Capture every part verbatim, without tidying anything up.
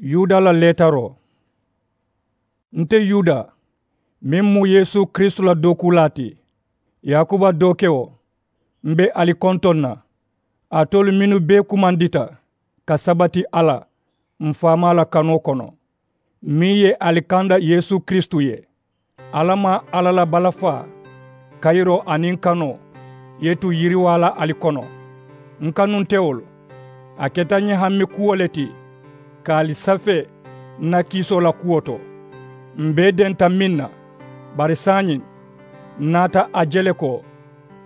Yuda la leetaroo. Nte yuda, meŋ mu yeesu kiristu la dookuulaa ti, yaakuba dookewo, m be ali kontoŋ na, alitolu mennu bee kumandita ka sabati alla m faamaa la kanoo kono, meŋ ye ali kanda yeesu kiristu ye. Alla maŋ alla la balafaa, kayiroo aniŋ kanoo ye tu yiriwaa la ali kono. N kanuntewolu, a keta ñiŋ hammi kuwo le ti ka ali safee n na kiisoo la kuwo to. M bee denta meŋ na, bari saayiŋ n naata a je le ko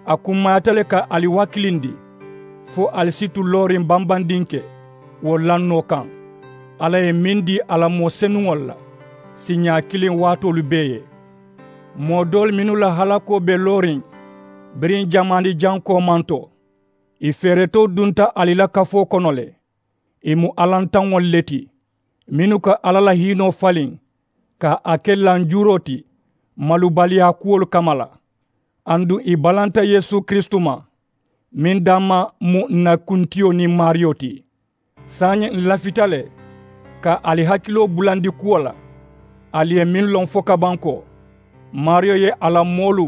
a kummayata le ka ali wakilindi, fo ali si tu looriŋ bambandinke wo lannoo kaŋ alla ye meŋ dii a la moo senuŋolu la siiñaa kiliŋ waatoolu bee ye. Moo doolu mennu la halakoo be looriŋ biriŋ jamaani jaŋ koomanto, ì feeretoo dunta ali la kafoo kono le. Ì mu alantaŋolu le ti, mennu ka alla la hiinoo faliŋ ka a ke lanjuuroo ti malubaliyaa kuwolu kamma la. Aduŋ ì balanta yeesu kiristu ma, meŋ damma mu ǹ na kuntiyo niŋ maariyo ti. Saayiŋ ǹ lafita le ka ali hakiloo bulandi kuwo la, ali ye meŋ loŋ fo ka baŋ ko maariyo ye a la moolu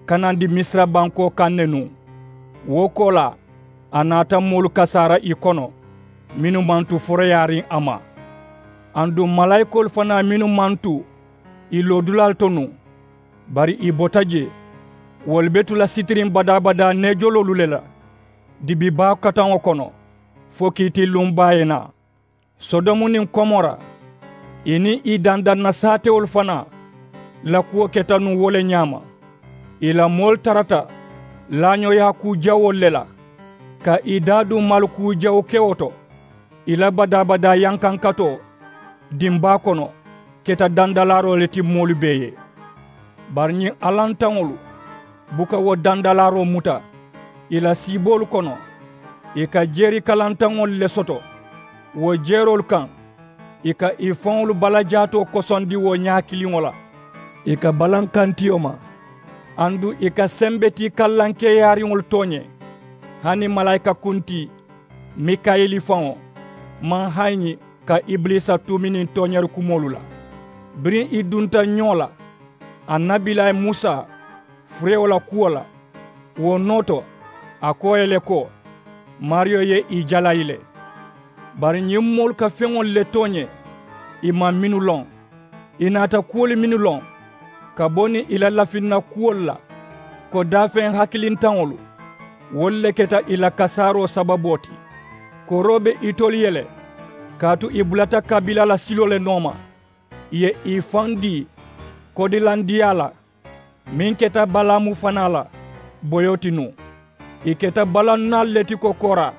kanandi misira bankoo kaŋ ne nuŋ. Wo koolaa, a naata moolu kasaara ì kono mennu maŋ tu foroyaariŋ a ma. Aduŋ malaayikoolu fanaa mennu maŋ tu ì loodulaalu to nuŋ, bari ì bota jee, wolu be tu la sitiriŋ badaa-badaa neejoloolu le la dibi baa kataŋo kono, fo kiitiiluŋ baa ye naa. Sodomu niŋ komora, ì niŋ ì dandaŋ na saatewolu fanaa la kuwo keta nuŋ wo le ñaama. Ì la moolu tarata laañooyaa kuu jawoolu le la, ka ì daaduŋ maalu kuu jawu kewo to. Ì la badaa-badaa yankankatoo dimbaa kono keta dandalaaroo le ti moolu bee ye. Bari ñiŋ alantaŋolu buka wo dandalaaroo muta ì la siiboolu kono. Ì ka jeeri kalantaŋolu le soto wo jeeroolu kaŋ, ì ka ì faŋolu balajaatoo kosondi wo ñaa kiliŋo la. Ì ka balankantiyo ma, aduŋ ì ka sembetii kallankeeyaariŋolu tooñe. Hani malaayika kuntii mikayili faŋo maŋ hayiñi ka ibiliisa tuuminiŋ tooñaari kumoolu la. Biriŋ ì dunta ñoo la annabilayi musa furewo la kuwo la, wo noo to a ko ì ye le ko maariyo ye ì jalayi le. Bari ñiŋ moolu ka feŋolu le tooñe, ì maŋ mennu loŋ. Ì naata kuwolu mennu loŋ ka bo niŋ ì la lafinna kuwolu la, ko daafeŋ hakilintaŋolu, wolu le keta ì la kasaaroo sababoo ti. Koroo be itolu ye le, kaatu ì bulata kabiila la siloo le nooma. Ì ye ì faŋ dii kodilandiyaa la, meŋ keta balaamu fanaa la boyoo ti nuŋ. Ì keta balannaalu le ti kokoora,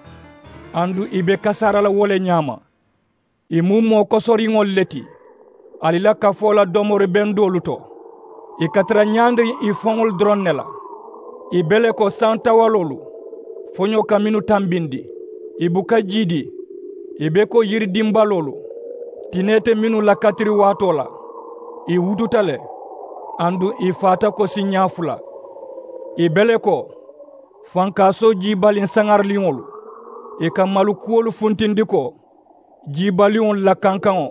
aduŋ ì be kasaara la wo le ñaama. Ì mu moo kosoriŋolu le ti ali la kafoo la domori bendoolu to. Ì ka tara ñaandiriŋ ì faŋolu doroŋ ne la. Ì be le ko santawaloolu foñoo ka mennu tambindi. Ì buka jiidi. Ì be ko yiri dimbaloolu tinee te mennu la katiri waatoo la. Ì wututa le, aduŋ ì faata ko siiñaa fula. Ì be le ko fankaasoo jiibaliŋ saŋariliŋolu. Ì ka malu kuwolu funtindi ko jiibaliŋolu la kankaŋo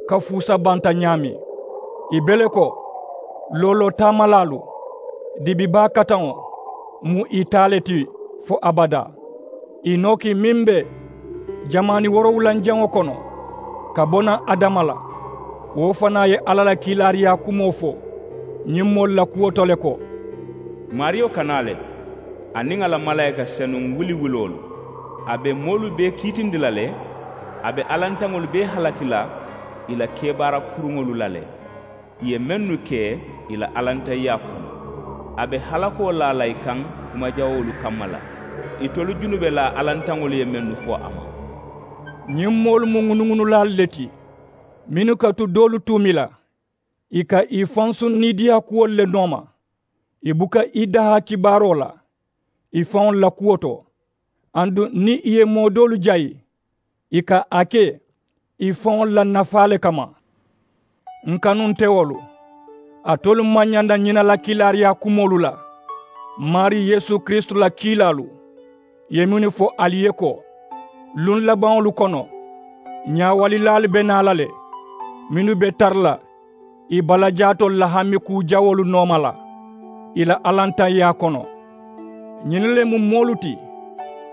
ka fuusa banta ñaameŋ. Ì be le ko looloo taamalaalu dibi baa kataŋo mu ì taa le ti fo abadaa. Ì nooki meŋ be jamaani woorowulanjaŋo kono ka bo naŋ adama la, wo fanaa ye alla la kiilaariyaa kumoo fo ñiŋ moolu la kuwo to le ko maariyo kana le, a niŋ a la malaayika senuŋ wuli-wuloolu. A be moolu bee kiitindi la le. A be alantaŋolu bee halaki la ì la kebaara kuruŋolu la le. Ì ye mennu ke ì la alantayiyaa kono, a be halakoo laa la ì kaŋ kumajawoolu kamma la. Itolu junubelaa alantaŋolu ye mennu fo a ma. Ñiŋ moolu mu ŋunuŋunulaalu le ti, mennu ka tu doolu tuumi la. Ì ka ì fansuŋ niidiyaa kuwolu le nooma. Ì buka ì dahaa kibaaroo la ì faŋolu la kuwo to. Aduŋ niŋ ì ye moo doolu jayi, ì ka a ke ì faŋolu la nafaa le kamma. N kanuntewolu, alitolu maŋ ñanda ñina la kiilaariyaa kumoolu la. Maarii yeesu kiristu la kiilaalu ye mennu fo ali ye ko, luŋ labaŋolu kono Ñaawalilaalu be naa la le, mennu be tara la ì balajaatoolu la hami kuu jawoolu nooma la ì la alantayaa kono. Ñinnu le mu moolu ti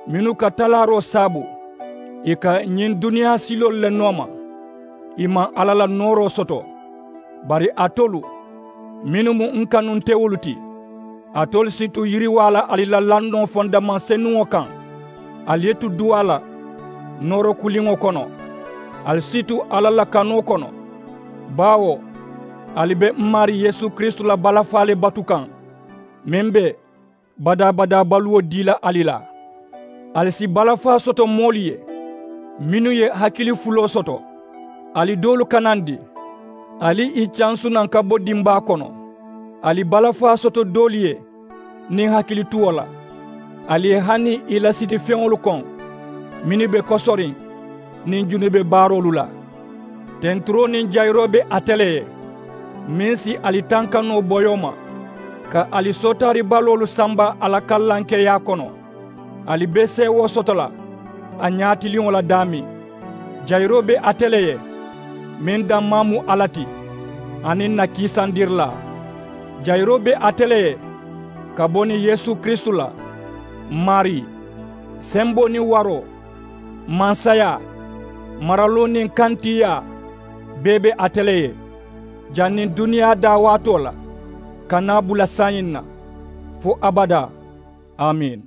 mennu ka talaaroo saabu ì ka ñiŋ duniyaa siloolu le nooma. Ì maŋ alla la nooroo soto. Bari alitolu mennu mu n kanuntewolu ti, alitolu si tu yiriwaa la ali la lannoo fondamaŋ senuŋo kaŋ. Ali ye tu duwaa la nooro kuliŋo kono. Ali si tu alla la kanoo kono, baawo ali be m maarii yeesu kiristu la balafaa le batu kaŋ, meŋ be badaa-badaa baluwo dii la ali la. Ali si balafaa soto moolu ye mennu ye hakili fuloo soto. Ali doolu kanandi, ali ì cansu naŋ ka bo dimbaa kono. Ali balafaa soto doolu ye niŋ hakilituwo la. Ali ye hani ì la sitifeŋolu koŋ mennu be kosoriŋ niŋ junube baaroolu la. Tenturoo niŋ jayiroo be ate le ye, meŋ si ali tankanoo boyoo ma, ka ali sootaari baloolu samba a la kallankeyaa kono. Ali be seewoo soto la a ñaatiliŋo la daameŋ. Jayiroo be ate le ye, meŋ dammaa mu alla ti, aniŋ na kiisandirilaa. Jayiroo be ate le ye ka bo niŋ yeesu kiristu la. Maarii, semboo niŋ waroo, mansayaa, maraloo niŋ kantiiyaa, bee be ate le ye, janniŋ duniyaa daawaatoo la ka naa bula saayiŋ na, fo abadaa. Amiin.